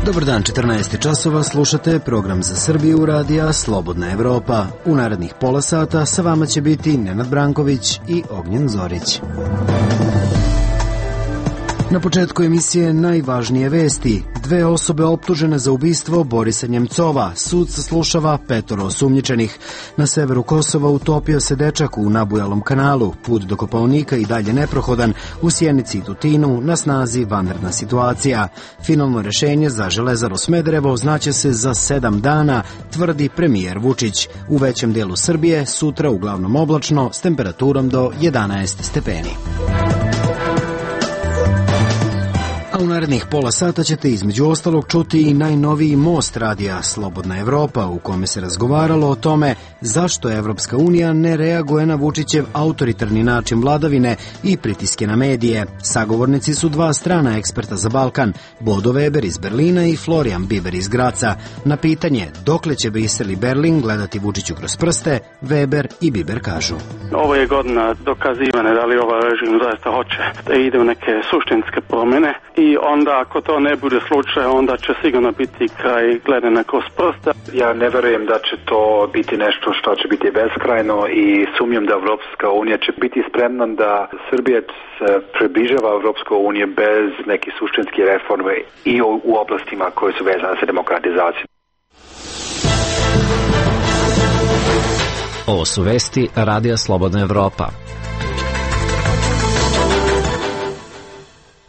Dobar dan, 14 časova, slušate program za Srbiju radija Slobodna Evropa. U narednih pola sata sa vama će biti Nenad Branković i Ognjen Zorić. Na početku emisije najvažnije vesti. 2 osobe optužene za ubistvo Borisa Njemcova. Sud saslušava 5 osumnjičenih. Na severu Kosova utopio se dečak u nabujalom kanalu. Put do Kopaonika i dalje neprohodan. U Sjenici i Tutinu na snazi vanredna situacija. Finalno rešenje za Železaru Smederevo znaće se za 7 dana, tvrdi premijer Vučić. U većem delu Srbije sutra uglavnom oblačno s temperaturom do 11 stepeni. A u narednih pola sata ćete između ostalog čuti i najnoviji most radija Slobodna Evropa, u kome se razgovaralo o tome zašto Evropska unija ne reaguje na Vučićev autoritarni način vladavine i pritiske na medije. Sagovornici su 2 strana eksperta za Balkan, Bodo Weber iz Berlina i Florian Biber iz Graca. Na pitanje dokle će Brisel i Berlin gledati Vučiću kroz prste, Weber i Biber kažu: Ovo je godina dokazivane da li ovaj režim zaista hoće da ide u neke suštinske promjene. I onda ako to ne bude slučaj, onda će sigurno biti kraj gledanja kroz prste. Ja ne verujem da će to biti nešto što će biti beskrajno i sumnjam da Evropska unija će biti spremna da Srbija se približava Evropskoj uniji bez nekih suštinskih reforme i u oblastima koje su vezane sa demokratizacijom. Ovo su vesti radija Slobodna Evropa.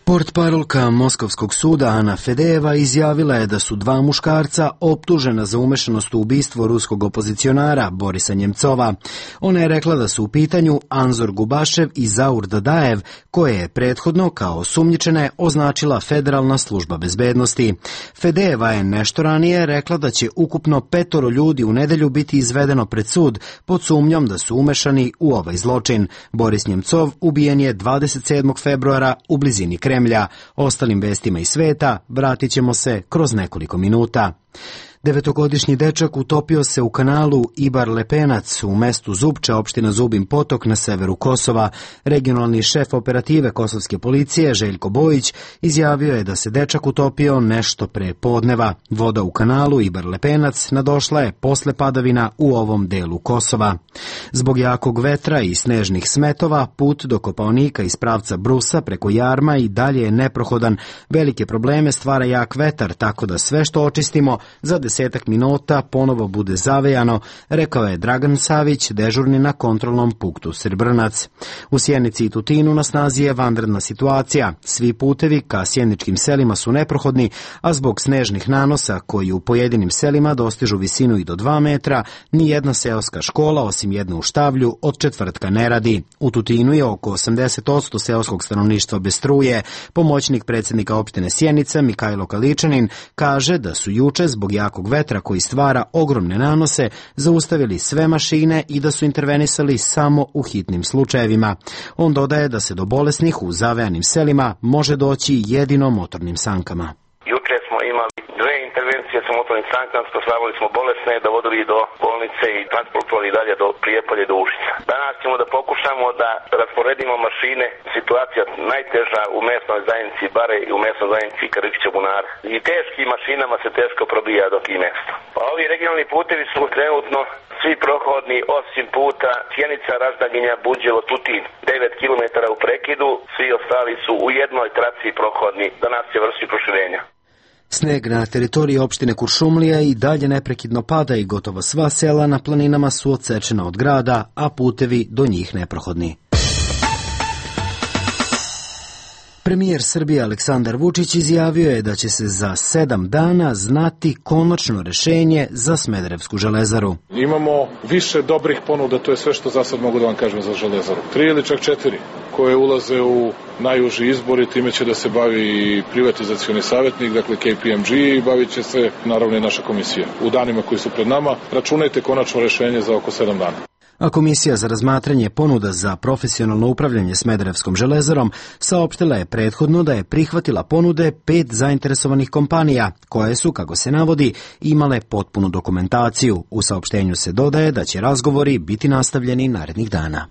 Portparolka Moskovskog suda Ana Fedejeva izjavila je da su 2 muškarca optužena za umešanost u ubistvo ruskog opozicionara Borisa Njemcova. Ona je rekla da su u pitanju Anzor Gubašev i Zaur Dadajev, koje je prethodno kao osumnjičene označila Federalna služba bezbednosti. Fedejeva je nešto ranije rekla da će ukupno 5 ljudi u nedelju biti izvedeno pred sud pod sumnjom da su umešani u ovaj zločin. Boris Njemcov ubijen je 27. februara u blizini Kremlja. Ostalim vestima iz sveta vratit ćemo se kroz nekoliko minuta. 9-godišnji dečak utopio se u kanalu Ibar Lepenac u mestu Zubče, opština Zubin Potok na severu Kosova. Regionalni šef operative kosovske policije Željko Bojić izjavio je da se dečak utopio nešto pre podneva. Voda u kanalu Ibar Lepenac nadošla je posle padavina u ovom delu Kosova. Zbog jakog vetra i snežnih smetova, put do Kopaonika iz pravca Brusa preko Jarma i dalje je neprohodan. Velike probleme stvara jak vetar, tako da sve što očistimo za 10 minuta ponovo bude zavejano, rekao je Dragan Savić, dežurni na kontrolnom punktu Srbrnac. U Sjenici i Tutinu na snazi je vanredna situacija. Svi putevi ka sjeničkim selima su neprohodni, a zbog snežnih nanosa koji u pojedinim selima dostižu visinu i do 2 metra, ni jedna seoska škola, osim jedne u Štavlju, od četvrtka ne radi. U Tutinu je oko 80% seoskog stanovništva bez struje. Pomoćnik predsjednika opštine Sjenica, Mikajlo Kaličanin, kaže da su juče zbog jakog vetra koji stvara ogromne nanose zaustavili sve mašine i da su intervenisali samo u hitnim slučajevima. On dodaje da se do bolesnih u zavejanim selima može doći jedino motornim sankama. Juče smo imali 2 intervencije sa motornim sankama, spasavali smo bolesne, dovodili do bolnice i transportovali dalje do Prijepolja i do Užica. Danas ćemo da pokušamo da rasporedimo mašine. Situacija najteža u mesnoj zajednici Bare i u mesnoj zajednici Karičića Bunara. I teškim mašinama se teško probija do tih mesta. Pa ovi regionalni putevi su trenutno svi prohodni osim puta Sjenica, Raždaginja, Buđevo, Tutin. 9 km u prekidu, svi ostali su u jednoj traci prohodni. Danas će vršiti proširenja. Sneg na teritoriji opštine Kuršumlija i dalje neprekidno pada i gotovo sva sela na planinama su odsečena od grada, a putevi do njih neprohodni. Premijer Srbije Aleksandar Vučić izjavio je da će se za 7 dana znati konačno rešenje za Smederevsku železaru. Imamo više dobrih ponuda, to je sve što za sad mogu da vam kažem za železaru. 3 ili čak 4 koje ulaze u najuži izbor i time će da se bavi i privatizacioni savjetnik, dakle KPMG, i bavit će se naravno i naša komisija. U danima koji su pred nama računajte konačno rešenje za oko 7 dana. A Komisija za razmatranje ponuda za profesionalno upravljanje Smederevskom železarom saopštila je prethodno da je prihvatila ponude 5 zainteresovanih kompanija, koje su, kako se navodi, imale potpunu dokumentaciju. U saopštenju se dodaje da će razgovori biti nastavljeni narednih dana.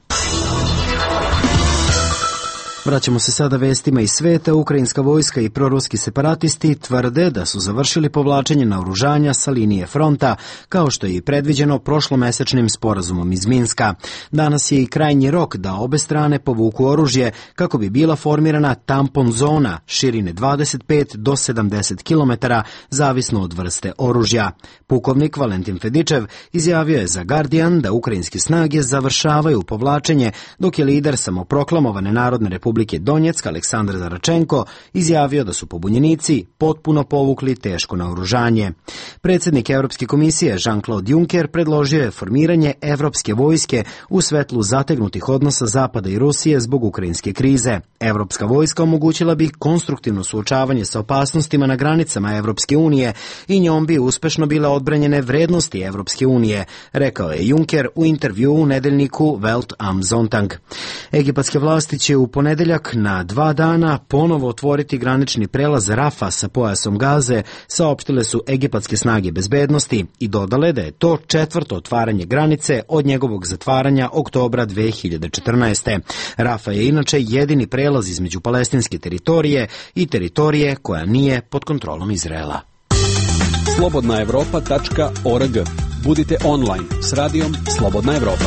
Vraćamo se sada vestima iz sveta. Ukrajinska vojska i proruski separatisti tvrde da su završili povlačenje naoružanja sa linije fronta, kao što je i predviđeno prošlomesečnim sporazumom iz Minska. Danas je i krajnji rok da obe strane povuku oružje kako bi bila formirana tampon zona širine 25 do 70 km, zavisno od vrste oružja. Pukovnik Valentin Fedičev izjavio je za Guardian da ukrajinske snage završavaju povlačenje, dok je lider samoproklamovane Narodne republike Donjeck Aleksandar Zaračenko izjavio da su pobunjenici potpuno povukli teško naoružanje. Predsjednik Europske komisije Jean-Claude Juncker predložio je formiranje evropske vojske u svetlu zategnutih odnosa Zapada i Rusije zbog ukrajinske krize. Evropska vojska omogućila bi konstruktivno suočavanje sa opasnostima na granicama Evropske unije i njom bi uspešno bile odbranjene vrednosti Evropske unije, rekao je Juncker u intervju u nedeljniku Welt am Sonntag. Egipatske vlasti će u ponedeljak na 2 dana ponovo otvoriti granični prelaz Rafa sa pojasom Gaze, saopštile su egipatske snage bezbednosti i dodale da je to 4. otvaranje granice od njegovog zatvaranja oktobra 2014. Rafa je inače jedini prelaz između palestinske teritorije i teritorije koja nije pod kontrolom Izraela. Slobodnaevropa.org. Budite online s radijom Slobodna Evropa.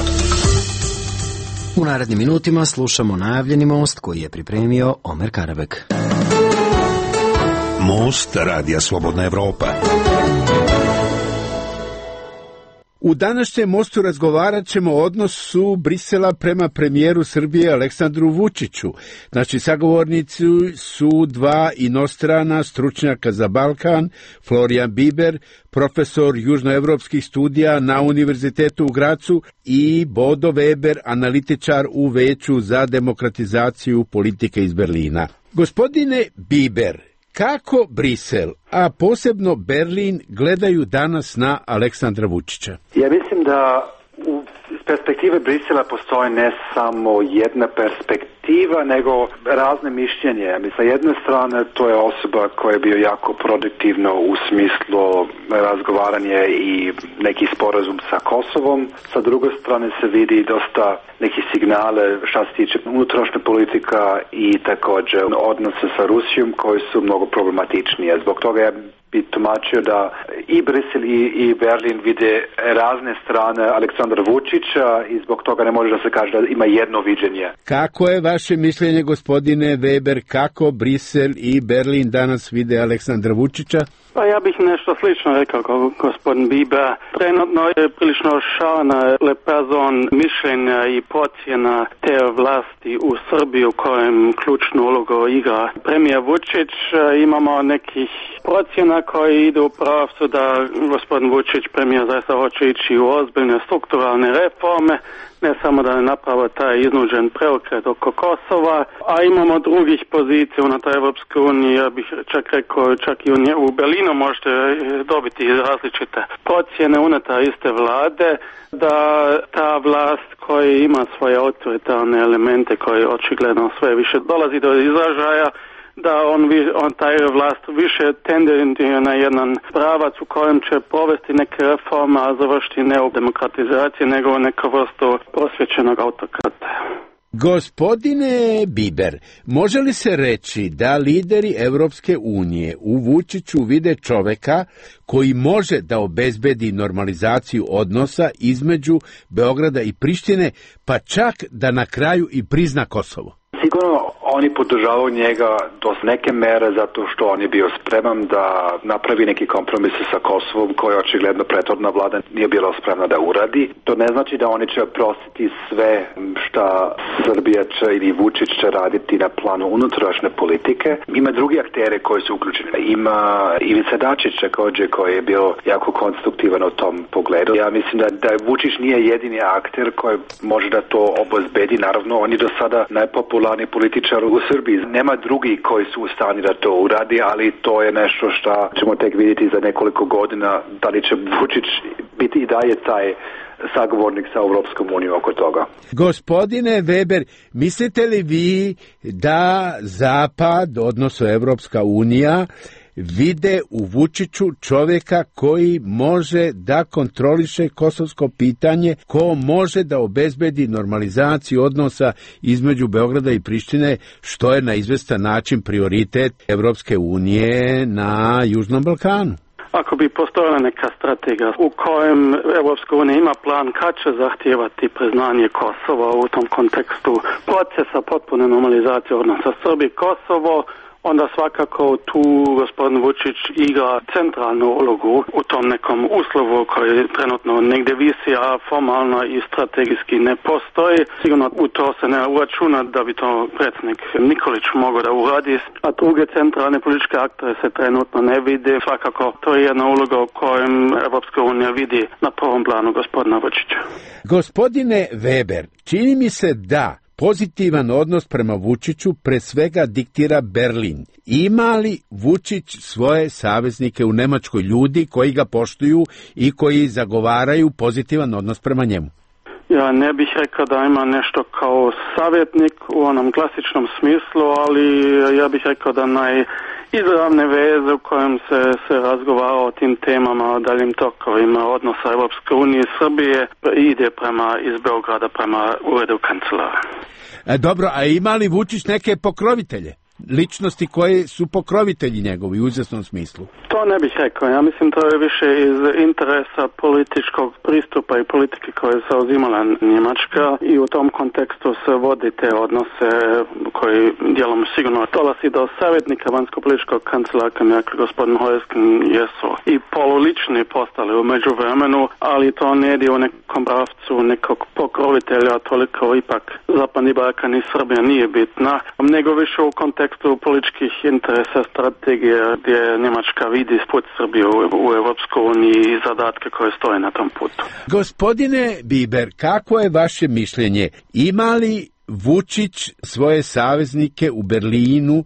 U narednim minutima slušamo najavljeni most koji je pripremio Omer Karabek. Most radija Slobodna Evropa. U današnjem mostu razgovarat ćemo o odnosu Brisela prema premijeru Srbije Aleksandru Vučiću. Naši sagovornici su dva inostrana stručnjaka za Balkan, Florian Biber, profesor južnoevropskih studija na Univerzitetu u Gracu, i Bodo Weber, analitičar u Veću za demokratizaciju politike iz Berlina. Gospodine Biber, kako Brisel, a posebno Berlin, gledaju danas na Aleksandra Vučića? Ja mislim da iz perspektive Brisela postoji ne samo jedna perspektiva, nego razne mišljenje. Sa jedne strane to je osoba koja je bio jako produktivno u smislu razgovaranja i neki sporazum sa Kosovom. Sa druge strane se vidi dosta neki signale šta se tiče unutrašnje politika i također odnose sa Rusijom koji su mnogo problematičnije. Zbog toga ja bi tumačio da i Brisel i Berlin vide razne strane Aleksandra Vučića i zbog toga ne može da se kaže da ima jedno viđenje. Kako je vaše mišljenje, gospodine Weber, kako Brisel i Berlin danas vide Aleksandra Vučića? Pa ja bih nešto slično rekao kao gospodin Biber. Trenutno je prilično šalena lepazon mišljenja i procjena te vlasti u Srbiji u kojem ključnu ulogu igra premijer Vučić. Imamo nekih procjena koji idu u pravcu da gospodin Vučić, premijer, zaista hoće ići u ozbiljne strukturalne reforme, ne samo da ne napravo taj iznuđen preokret oko Kosova, a imamo drugih pozicija unutar Evropske unije, ja bih čak rekao, čak i u Berlinu možete dobiti različite procjene unutar iste vlade, da ta vlast koja ima svoje autoritarne elemente koji očigledno sve više dolazi do izražaja, da on taj vlast više tendentira na jedan pravac u kojem će povesti neke reforme, a završiti ne u demokratizaciji, nego u neku vrstu prosvjećenog autokrata. Gospodine Biber, može li se reći da lideri Evropske unije u Vučiću vide čoveka koji može da obezbedi normalizaciju odnosa između Beograda i Prištine, pa čak da na kraju i prizna Kosovo? Sigurno oni podržavaju njega do neke mere zato što on je bio spreman da napravi neki kompromis sa Kosovom koje očigledno prethodna vlada nije bila spremna da uradi. To ne znači da oni će oprostiti sve šta Srbija će ili Vučić će raditi na planu unutrašnje politike. Ima drugi aktere koji su uključeni. Ima Ivica Dačić također koji je bio jako konstruktivan u tom pogledu. Ja mislim da Vučić nije jedini akter koji može da to obezbedi. Naravno, on je do sada najpopularniji političar u Srbiji. Nema drugi koji su u stanju da to uradi, ali to je nešto što ćemo tek vidjeti za nekoliko godina, da li će Vučić biti i dalje taj sagovornik sa Europskom unijom oko toga. Gospodine Weber, mislite li vi da Zapad, odnosno Evropska unija, vide u Vučiću čovjeka koji može da kontroliše kosovsko pitanje, ko može da obezbedi normalizaciju odnosa između Beograda i Prištine, što je na izvestan način prioritet Evropske unije na Južnom Balkanu. Ako bi postojala neka strategija u kojem Evropska unija ima plan kad će zahtijevati priznanje Kosova u tom kontekstu procesa potpune normalizacije odnosa Srbije-Kosovo, onda svakako tu gospodin Vučić igra centralnu ulogu u tom nekom uslovu koji trenutno negdje visi, a formalno i strategijski ne postoji. Sigurno u to se ne uračuna da bi to predsjednik Nikolić mogao da uradi, a druge centralne političke aktere se trenutno ne vide. Svakako to je jedna uloga u kojem Evropska unija vidi na prvom planu gospodina Vučića. Gospodine Weber, čini mi se da pozitivan odnos prema Vučiću pre svega diktira Berlin. Ima li Vučić svoje saveznike u Nemačkoj, ljudi koji ga poštuju i koji zagovaraju pozitivan odnos prema njemu? Ja ne bih rekao da ima nešto kao savjetnik u onom klasičnom smislu, ali ja bih rekao da izravne veze u kojem se razgovara o tim temama, o daljim tokovima odnosa Europske unije i Srbije ide iz Beograda prema uredu kancelara. Dobro, a ima li Vučić neke pokrovitelje? Ličnosti koje su pokrovitelji njegovi u izvjesnom smislu? To ne bih rekao. Ja mislim to je više iz interesa političkog pristupa i politike koje se uzimala Njemačka i u tom kontekstu se vodi te odnose koji dijelom sigurno dolazi do savjetnika vanjsko-političkog kancelara, kako gospodin Hojskin, jesu i polulični postali u međuvremenu, ali to ne ide u nekom pravcu nekog pokrovitelja, toliko ipak Zapadni Balkan i Srbija nije bitna, nego više u kontekstu političkih interesa, strategije gdje Njemačka vidi put Srbiju u Evropskoj uniji i zadatke koje stoje na tom putu. Gospodine Biber, kako je vaše mišljenje? Ima li Vučić svoje saveznike u Berlinu,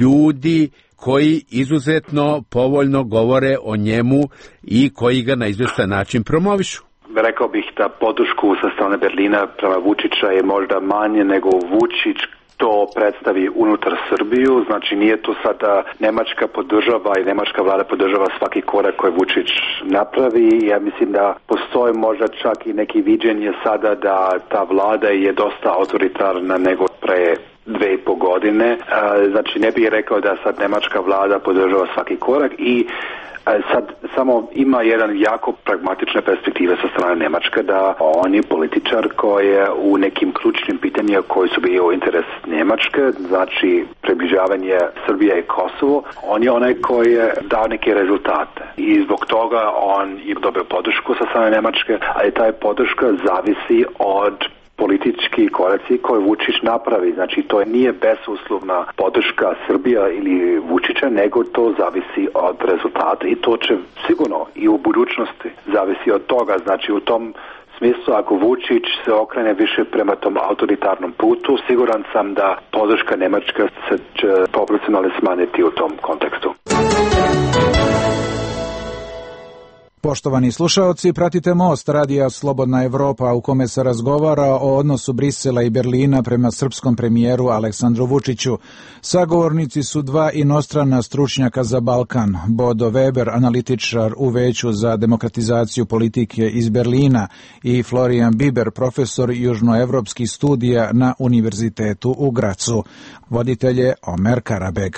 ljudi koji izuzetno povoljno govore o njemu i koji ga na izvestan način promovišu? Rekao bih da podršku sa strane Berlina prema Vučića je možda manje nego Vučić to predstavi unutar Srbiju, znači nije to sada Nemačka podržava i Nemačka vlada podržava svaki korak koji Vučić napravi. Ja mislim da postoji možda čak i neki viđenje sada da ta vlada je dosta autoritarna nego pre 2,5 godine. Znači ne bih rekao da sad Nemačka vlada podržava svaki korak i sad samo ima jedan jako pragmatične perspektive sa strane Njemačke da on je političar koji je u nekim ključnim pitanjima koji su bio interes Njemačke, znači približavanje Srbije i Kosovo, on je onaj koji je dao neke rezultate i zbog toga on je dobio podršku sa strane Njemačke, ali taj podrška zavisi od politički koraci koje Vučić napravi. Znači to nije bezuslovna podrška Srbija ili Vučića, nego to zavisi od rezultata i to će sigurno i u budućnosti zavisi od toga. Znači u tom smislu ako Vučić se okrene više prema tom autoritarnom putu, siguran sam da podrška Njemačka se će proporcionalno smanjiti u tom kontekstu. Poštovani slušaoci, pratite Most radija Slobodna Evropa u kome se razgovara o odnosu Brisela i Berlina prema srpskom premijeru Aleksandru Vučiću. Sagovornici su dva inostrana stručnjaka za Balkan, Bodo Weber, analitičar u Veću za demokratizaciju politike iz Berlina i Florian Biber, profesor južnoevropskih studija na Univerzitetu u Gracu. Voditelj je Omer Karabeg.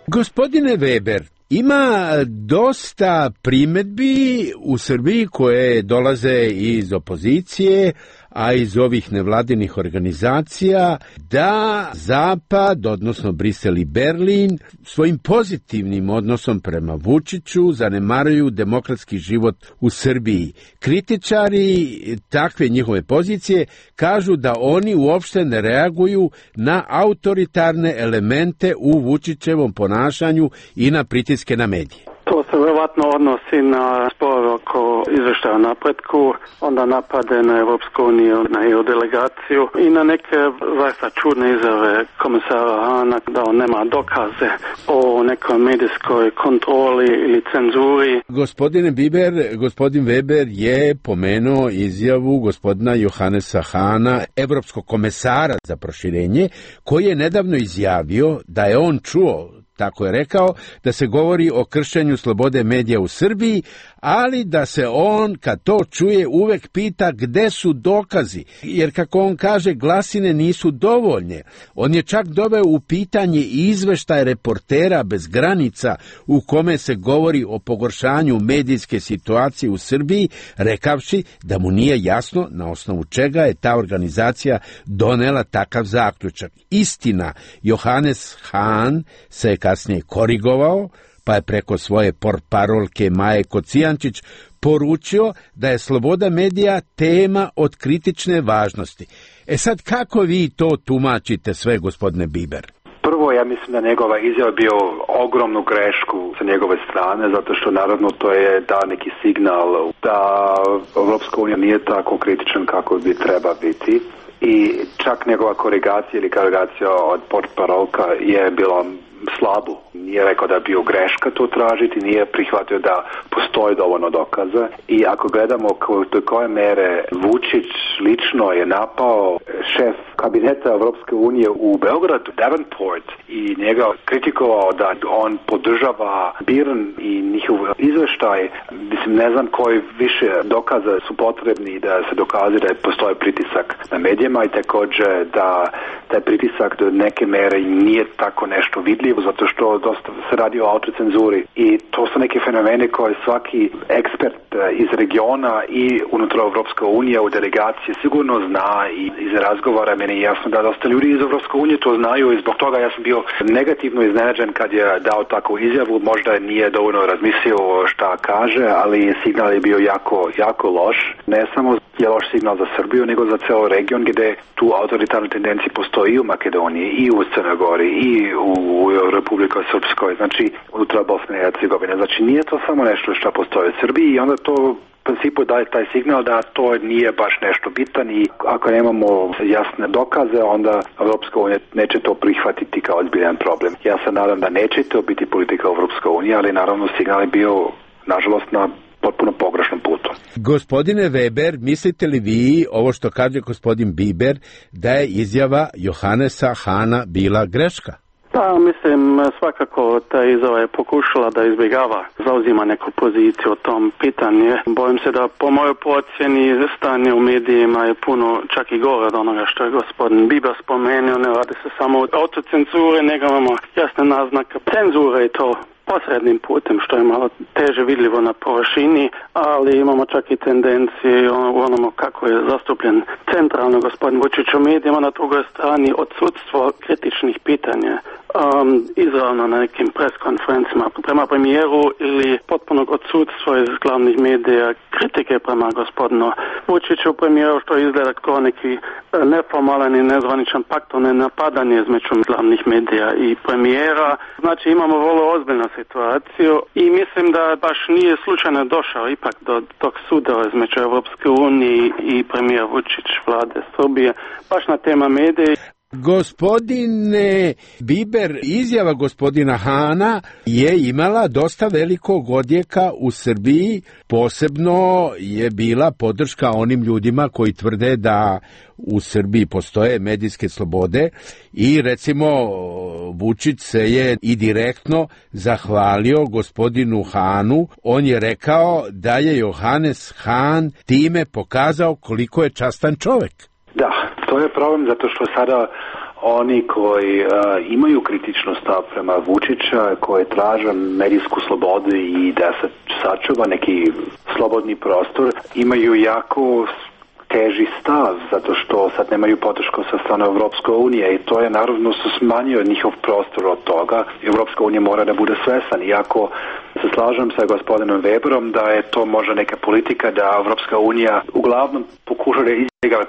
Gospodine Weber, ima dosta primedbi u Srbiji koje dolaze iz opozicije, a iz ovih nevladinih organizacija, da Zapad, odnosno Brisel i Berlin, svojim pozitivnim odnosom prema Vučiću zanemaruju demokratski život u Srbiji. Kritičari takve njihove pozicije kažu da oni uopšte ne reaguju na autoritarne elemente u Vučićevom ponašanju i na pritiske na medije. To se vrlo vjerovatno odnosi na spor oko izvještaja o napretku, onda napade na Europsku uniju, na EU delegaciju i na neke zaista čudne izjave komisara Hahna da on nema dokaze o nekoj medijskoj kontroli ili cenzuri. Gospodine Biber, gospodin Weber je pomenuo izjavu gospodina Johannesa Hahna, evropskog komesara za proširenje, koji je nedavno izjavio da je on čuo, tako je rekao, da se govori o kršenju slobode medija u Srbiji, ali da se on, kad to čuje, uvek pita gde su dokazi, jer kako on kaže, glasine nisu dovoljne. On je čak doveo u pitanje izveštaj Reportera bez granica u kome se govori o pogoršanju medijske situacije u Srbiji, rekavši da mu nije jasno na osnovu čega je ta organizacija donela takav zaključak. Istina, Johannes Hahn se je kasnije korigovao, pa je preko svoje portparolke Maje Kocijančić poručio da je sloboda medija tema od kritične važnosti. Sad, kako vi to tumačite sve, gospodine Biber? Prvo, ja mislim da njegova izjava bio ogromnu grešku sa njegove strane, zato što naravno to je dao neki signal da Evropska unija nije tako kritičan kako bi treba biti. I čak njegova korigacija ili korigacija od portparolka je bila slabu. Nije rekao da je bio greška to tražiti, nije prihvatio da postoji dovoljno dokaza. I ako gledamo do koje mere Vučić lično je napao šef kabineta Evropske unije u Beogradu, Davenport, i njega kritikovao da on podržava BIRN i njihov izveštaj, mislim, ne znam koji više dokaza su potrebni da se dokaže da postoji pritisak na medijima i također da taj pritisak do neke mere nije tako nešto vidljivo, zato što dosta se radi o autocenzuri i to su neke fenomene koje svaki ekspert iz regiona i unutar Evropske unije u delegaciji sigurno zna i iz razgovora meni je jasno da dosta ljudi iz Evropske unije to znaju i zbog toga ja sam bio negativno iznenađen kad je dao takvu izjavu, možda nije dovoljno razmislio šta kaže, ali signal je bio jako loš. Ne samo je loš signal za Srbiju, nego za ceo region gdje tu autoritarne tendencije postoji i u Makedoniji, i u Crnoj Gori, i u Republika Srpskoj, znači unutar Bosne i Hercegovine. Znači nije to samo nešto što postoji u Srbiji i onda to u principu daje taj signal da to nije baš nešto bitan i ako nemamo jasne dokaze, onda Evropska unija neće to prihvatiti kao ozbiljan problem. Ja se nadam da neće to biti politika Evropska unija, ali naravno signal je bio, nažalost, na potpuno pogrešnom putu. Gospodine Weber, mislite li vi, ovo što kaže gospodin Biber, da je izjava Johannesa Hahna bila greška? Da, mislim, svakako ta izjava je pokušala da izbjegava, zauzima neku poziciju o tom pitanju. Bojim se da po mojoj procjeni stanje u medijima je puno čak i gore od onoga što je gospodin Biber spomenuo. Ne radi se samo o autocenzure, nego imamo jasne naznake cenzure i to posrednim putem, što je malo teže vidljivo na površini, ali imamo čak i tendencije u onomu kako je zastupljen centralno gospodin Vučić u medijima, na drugoj strani odsudstvo kritičnih pitanja izravno na nekim preskonferencima prema premijeru ili potpunog odsudstva iz glavnih medija kritike prema gospodinu Vučiću premijeru, što izgleda kao neki neformalan i nezvaničan pakt, ne napadanje između glavnih medija i premijera. Znači imamo vrlo ozbiljnu situaciju i mislim da baš nije slučajno došao ipak do tog suda između Evropske unije i premijera Vučić vlade Srbije baš na tema medija. Gospodine Biber, izjava gospodina Hahna je imala dosta velikog odjeka u Srbiji, posebno je bila podrška onim ljudima koji tvrde da u Srbiji postoje medijske slobode i recimo Vučić se je i direktno zahvalio gospodinu Hahnu. On je rekao da je Johannes Hahn time pokazao koliko je častan čovek. Da, to je problem zato što sada oni koji imaju kritičnu stav prema Vučića, koji traže medijsku slobodu i da se sačuva neki slobodni prostor, imaju jako teži stav, zato što sad nemaju podršku sa strane Evropske unije i to je naravno su smanjio njihov prostor od toga. Evropska unija mora da bude svesan, iako se slažem sa gospodinom Weberom da je to možda neka politika da Evropska unija uglavnom pokuša da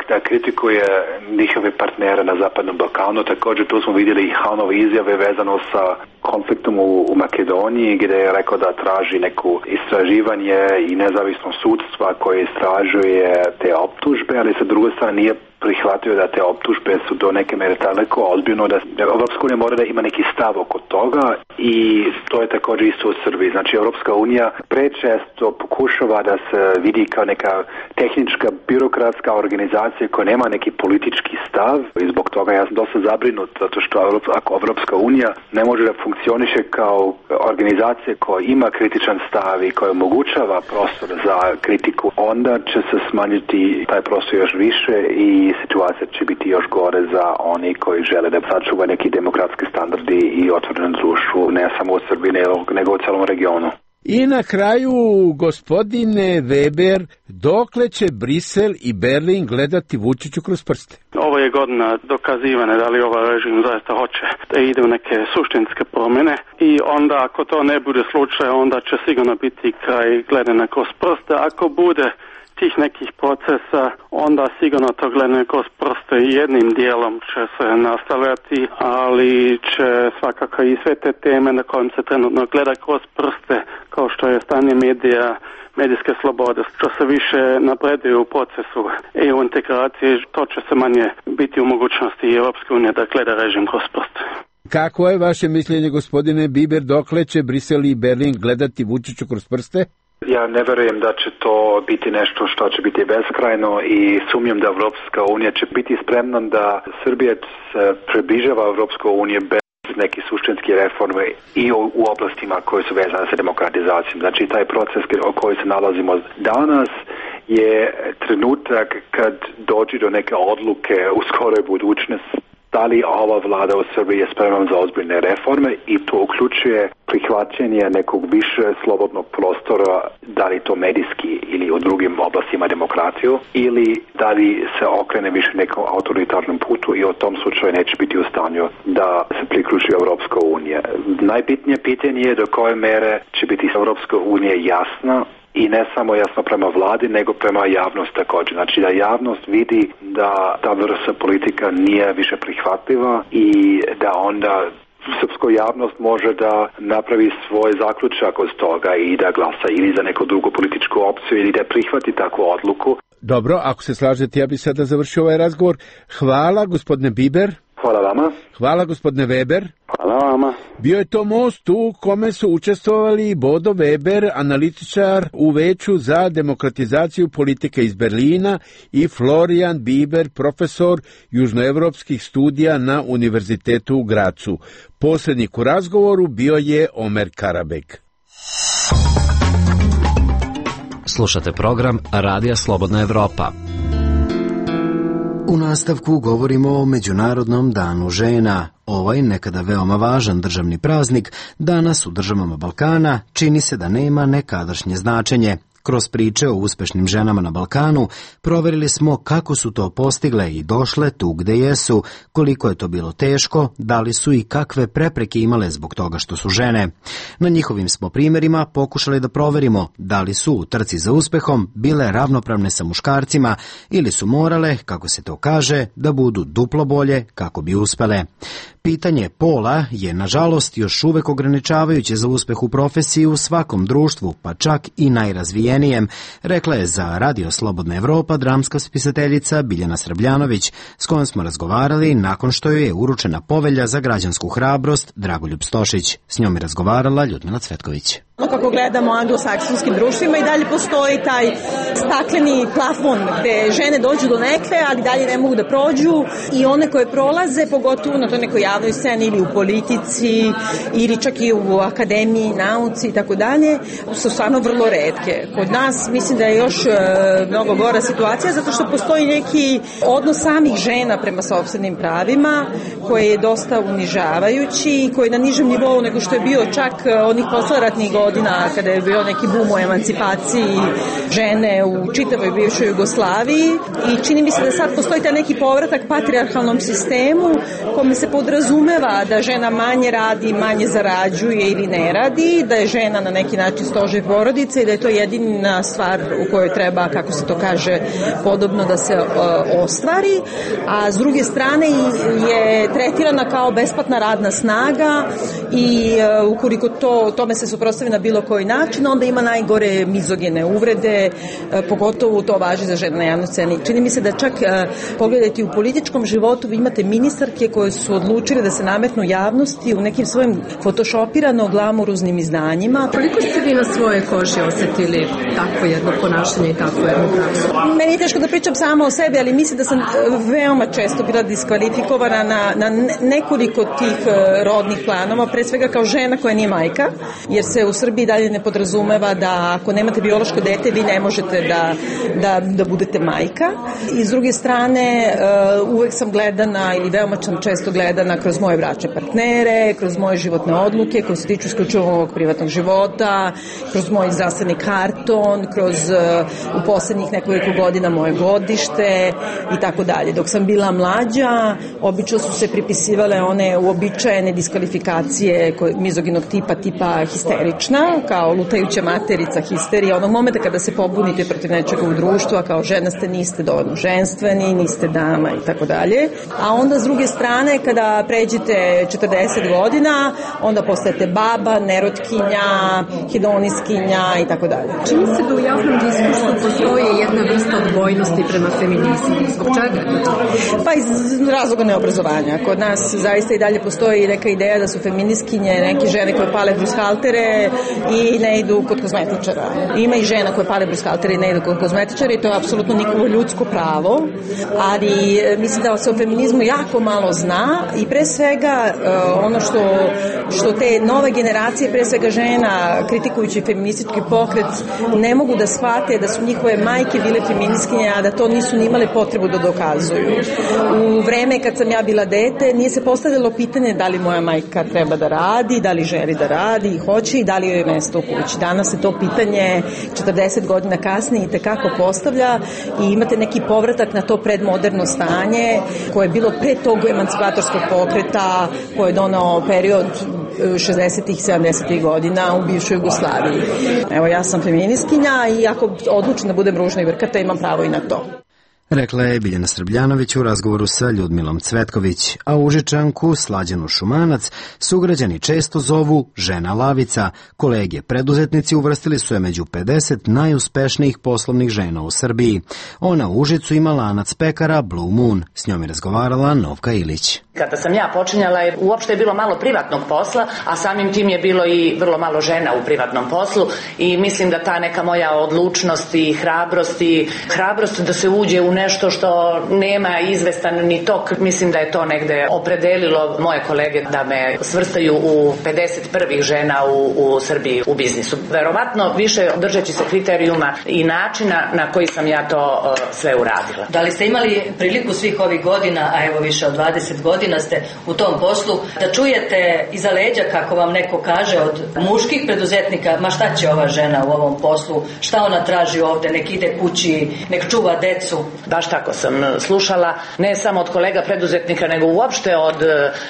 da kritikuje njihove partnere na Zapadnom Balkanu. Također tu smo vidjeli i Hanove izjave vezano sa konfliktom u Makedoniji, gdje je rekao da traži neko istraživanje i nezavisno sudstva koje istražuje te optužbe, ali sa druge strane nije prihvatio da te optužbe su do neke mere toliko ozbiljno da Europska unija mora da ima neki stav oko toga i to je također isto u Srbiji. Znači Europska unija prečesto pokušava da se vidi kao neka tehnička birokratska organizacija koja nema neki politički stav i zbog toga ja sam dosta zabrinut zato što ako Europska unija ne može da funkcioniše kao organizacija koja ima kritičan stav i koja omogućava prostor za kritiku, onda će se smanjiti taj prostor još više i situacija će biti još gore za oni koji žele da sačuvaju neki demokratski standardi i otvoreno društvo, ne samo u Srbiji, nego u celom regionu. I na kraju, gospodine Weber, dokle će Brisel i Berlin gledati Vučiću kroz prste? Ovo je godina dokazivane da li ovaj režim zaista hoće da ide u neke suštinske promjene i onda ako to ne bude slučaj, onda će sigurno biti kraj gledanja kroz prste. Ako bude tih nekih procesa, onda sigurno to gledanje kroz prste jednim dijelom će se nastavljati, ali će svakako i sve te teme na kojim se trenutno gleda kroz prste, kao što je stanje medija, medijske slobode, što se više napreduju u procesu EU integracije, to će se manje biti u mogućnosti Europske unije da gleda režim kroz prste. Kako je vaše mišljenje, gospodine Biber, dokle će Brisel i Berlin gledati Vučiću kroz prste? Ja ne verujem da će to biti nešto što će biti beskrajno i sumnjam da Evropska unija će biti spremna da Srbija se približava Evropskoj uniji bez nekih suštinskih reforme i u oblastima koje su vezane sa demokratizacijom. Znači taj proces o kojoj se nalazimo danas je trenutak kad dođe do neke odluke u skoroj budućnosti da li ova vlada u Srbiji je spremna za ozbiljne reforme i to uključuje prihvaćanje nekog više slobodnog prostora, da li to medijski ili u drugim oblastima demokratiju, ili da li se okrene više nekom autoritarnom putu i u tom slučaju neće biti u stanju da se priključi Europska unija. Najbitnije pitanje je do koje mere će biti Europska unija jasna i ne samo jasno prema vladi, nego prema javnosti također. Znači da javnost vidi da ta vrsta politika nije više prihvatljiva i da onda srpska javnost može da napravi svoj zaključak od toga i da glasa ili za neku drugu političku opciju ili da prihvati takvu odluku. Dobro, ako se slažete, ja bih sada završio ovaj razgovor. Hvala, gospodine Biber. Hvala vama. Hvala, gospodine Weber. Hvala vama. Bio je to most u kome su učestvovali Bodo Weber, analitičar u Veću za demokratizaciju politike iz Berlina, i Florian Biber, profesor južnoevropskih studija na Univerzitetu u Gracu. Posrednik u razgovoru bio je Omer Karabek. Slušate program Radija Slobodna Evropa. U nastavku govorimo o Međunarodnom danu žena. Ovaj nekada veoma važan državni praznik danas u državama Balkana čini se da nema nekadašnje značenje. Kroz priče o uspešnim ženama na Balkanu proverili smo kako su to postigle i došle tu gde jesu, koliko je to bilo teško, da li su i kakve prepreke imale zbog toga što su žene. Na njihovim smo primjerima pokušali da proverimo da li su u trci za uspehom bile ravnopravne sa muškarcima ili su morale, kako se to kaže, da budu duplo bolje kako bi uspele. Pitanje pola je, nažalost, još uvek ograničavajuće za uspeh u profesiji u svakom društvu, pa čak i najrazvijenijem, rekla je za Radio Slobodna Evropa dramska spisateljica Biljana Srbljanović, s kojom smo razgovarali nakon što joj je uručena povelja za građansku hrabrost Dragoljub Stošić. S njom je razgovarala Ljudmila Cvetković. Kako gledamo u anglosaksonskim društvima i dalje postoji taj stakleni plafon gde žene dođu do nekle, ali dalje ne mogu da prođu, i one koje prolaze, pogotovo na toj nekoj javnoj sceni ili u politici ili čak i u akademiji, nauci i tako dalje, su stvarno vrlo retke. Kod nas mislim da je još mnogo gora situacija zato što postoji neki odnos samih žena prema sopstvenim pravima koji je dosta unižavajući i koji je na nižem nivou nego što je bio čak onih posleratnih godina godina kada je bio neki bum o emancipaciji žene u čitavoj bivšoj Jugoslaviji i čini mi se da sad postoji taj neki povratak patrijarhalnom sistemu kome se podrazumeva da žena manje radi, manje zarađuje ili ne radi, da je žena na neki način stožer porodice i da je to jedina stvar u kojoj treba, kako se to kaže, podobno da se ostvari, a s druge strane je tretirana kao besplatna radna snaga i ukoliko tome se suprotstavi na bilo koji način, onda ima najgore mizogene uvrede, pogotovo to važi za žene na javnoj sceni. Čini mi se da čak pogledajte u političkom životu vi imate ministarke koje su odlučile da se nametnu javnosti u nekim svojim fotošopirano glamuruznim izdanjima. Koliko ste vi na svoje koži osetili takvo jedno ponašanje i takvu jednu praksu? Meni je teško da pričam sama o sebi, ali mislim da sam veoma često bila diskvalifikovana na nekoliko tih rodnih planova, pre svega kao žena koja nije majka, jer se u Srbiji dalje ne podrazumeva da ako nemate biološko dete vi ne možete da budete majka. I s druge strane uvek sam gledana ili veoma sam često gledana kroz moje bračne partnere, kroz moje životne odluke koje se tiču isključivo ovog privatnog života, kroz moj zdravstveni karton, kroz u poslednjih nekoliko godina moje godište i tako dalje. Dok sam bila mlađa, obično su se pripisivale one uobičajene diskvalifikacije mizoginog tipa histerična, kao lutajuća materica, histerija, onog momenta kada se pobunite protiv nečega u društvu, a kao žena niste dovoljno ženstveni, niste dama i tako dalje. A onda s druge strane, kada pređete 40 godina, onda postajete baba, nerotkinja, hedoniskinja i tako dalje. Čini se da u javnom diskursu postoji jedna vrsta odbojnosti prema feminizmu. Zbog čega? Pa iz razloga neobrazovanja. Kod nas zaista i dalje postoji neka ideja da su feminiskinje neke žene koje pale brushaltere i ne idu kod kozmetičara. Ima i žena koje pale brushaltere i ne idu kod kozmetičara i to je apsolutno nikovo ljudsko pravo, ali mislim da se o feminizmu jako malo zna i pre svega ono što te nove generacije, pre svega žena, kritikujući feministički pokret, ne mogu da shvate da su njihove majke bile feministkinje, a da to nisu ni imale potrebu da dokazuju. U vreme kad sam ja bila dete, nije se postavljalo pitanje da li moja majka treba da radi, da li želi da radi i hoće i da li joj je mesto u kući. Danas se to pitanje 40 godina kasnije i tekako postavlja i imate neki povratak na to predmoderno stanje koje je bilo pre tog emancipatorskog pokreta koje je donao period 60-ih, 70-ih godina u bivšoj Jugoslaviji. Evo, ja sam feminiskinja i ako odlučim da budem ružna i vrkata, imam pravo i na to. Rekla je Biljana Srbljanović u razgovoru sa Ljudmilom Cvetković, a Užičanku Slađanu Šumanac sugrađani često zovu žena lavica. Kolege preduzetnici uvrstili su je među 50 najuspešnijih poslovnih žena u Srbiji. Ona u Užicu ima lanac pekara Blue Moon. S njom je razgovarala Novka Ilić. Kada sam ja počinjala, uopšte je bilo malo privatnog posla, a samim tim je bilo i vrlo malo žena u privatnom poslu i mislim da ta neka moja odlučnost i hrabrost da se uđe u nešto što nema izvestan ni tok, mislim da je to negde opredelilo moje kolege da me svrstaju u 51 žena u Srbiji u biznisu. Verovatno više držeći se kriterijuma i načina na koji sam ja to sve uradila. Da li ste imali priliku svih ovih godina, a evo više od 20 godina ste u tom poslu, da čujete iza leđa, kako vam neko kaže, od muških preduzetnika, ma šta će ova žena u ovom poslu, šta ona traži ovde, nek ide kući, nek čuva decu? Baš tako sam slušala, ne samo od kolega preduzetnika, nego uopšte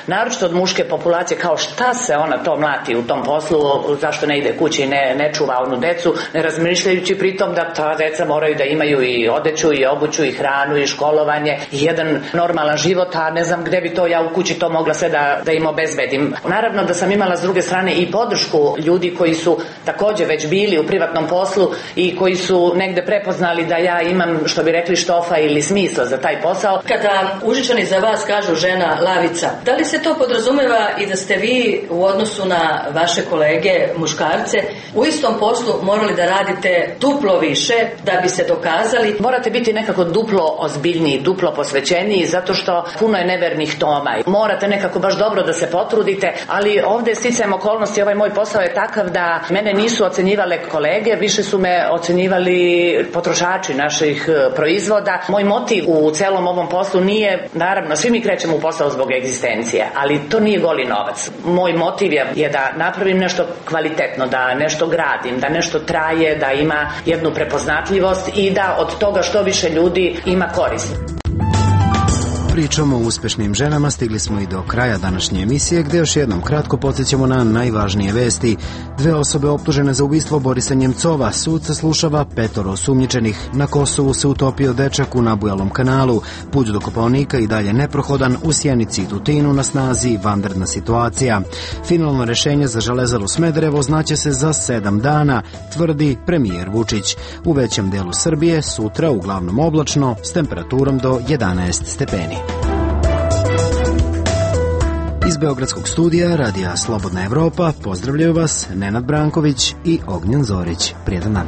naročito od muške populacije, kao šta se ona to mlati u tom poslu, zašto ne ide kući i ne čuva onu decu, ne razmišljajući pritom da ta deca moraju da imaju i odeću i obuću i hranu i školovanje i jedan normalan život, a ne znam gde bi to ja u kući to mogla sve da im obezbedim. Naravno da sam imala s druge strane i podršku ljudi koji su takođe već bili u privatnom poslu i koji su negde prepoznali da ja imam, što bi rekli, štofa ili smisla za taj posao. Kada Užičani za vas kažu žena lavica, da li se to podrazumeva i da ste vi u odnosu na vaše kolege muškarce u istom poslu morali da radite duplo više da bi se dokazali? Morate biti nekako duplo ozbiljniji, duplo posvećeniji, zato što puno je nevernih tona karcinoma. Morate nekako baš dobro da se potrudite, ali ovde sticajem okolnosti, ovaj moj posao je takav da mene nisu ocenjivale kolege, više su me ocenjivali potrošači naših proizvoda. Moj motiv u celom ovom poslu nije, naravno, svi mi krećemo u posao zbog egzistencije, ali to nije goli novac. Moj motiv je da napravim nešto kvalitetno, da nešto gradim, da nešto traje, da ima jednu prepoznatljivost i da od toga što više ljudi ima korist. Pričom o uspešnim ženama stigli smo i do kraja današnje emisije, gde još jednom kratko podsjećamo na najvažnije vesti. 2 osobe optužene za ubistvo Borisa Njemcova, sud saslušava 5 osumnjičenih. Na Kosovu se utopio dečak u Nabujalom kanalu. Put do Kopaonika i dalje neprohodan, u Sjenici i Tutinu na snazi vanredna situacija. Finalno rešenje za Železaru Smederevo znaće se za 7 dana, tvrdi premijer Vučić. U većem delu Srbije sutra uglavnom oblačno s temperaturom do 11 stepeni. Iz Beogradskog studija Radija Slobodna Evropa pozdravljaju vas Nenad Branković i Ognjen Zorić. Prijetan dan.